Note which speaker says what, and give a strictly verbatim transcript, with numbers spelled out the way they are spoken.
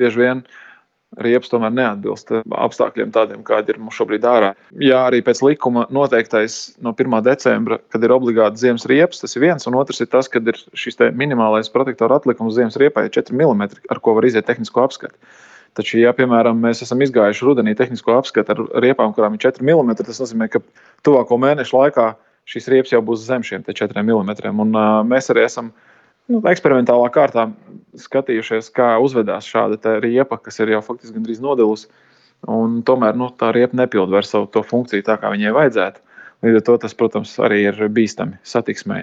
Speaker 1: bieži vien riepas tomēr neatbilst apstākļiem tādiem, kādi ir mums šobrīd ārā. Jā, arī pēc likuma noteiktais no pirmā decembra, kad ir obligāti ziemas riepas, tas ir viens, un otrs ir tas, kad ir šis te minimālais protektora atlikums ziemas riepai četri milimetri, ar ko var iziet tehnisko apskati. Taču, ja, piemēram, mēs esam izgājuši rudenī tehnisko apskati ar riepām, kurām ir četri milimetri, tas nozīmē, ka tuvāko mēnešu laikā šīs riepas jau būs zem šiem četriem milimetriem. Un uh, mēs arī esam nu, eksperimentālā kārtā skatījušies, kā uzvedās šāda te riepa, kas ir jau faktiski gandrīz nodilusi. Un tomēr nu, tā riepa nepild vairs savu to funkciju tā, kā viņai vajadzētu. Līdz ar to tas, protams, arī ir bīstami satiksmei.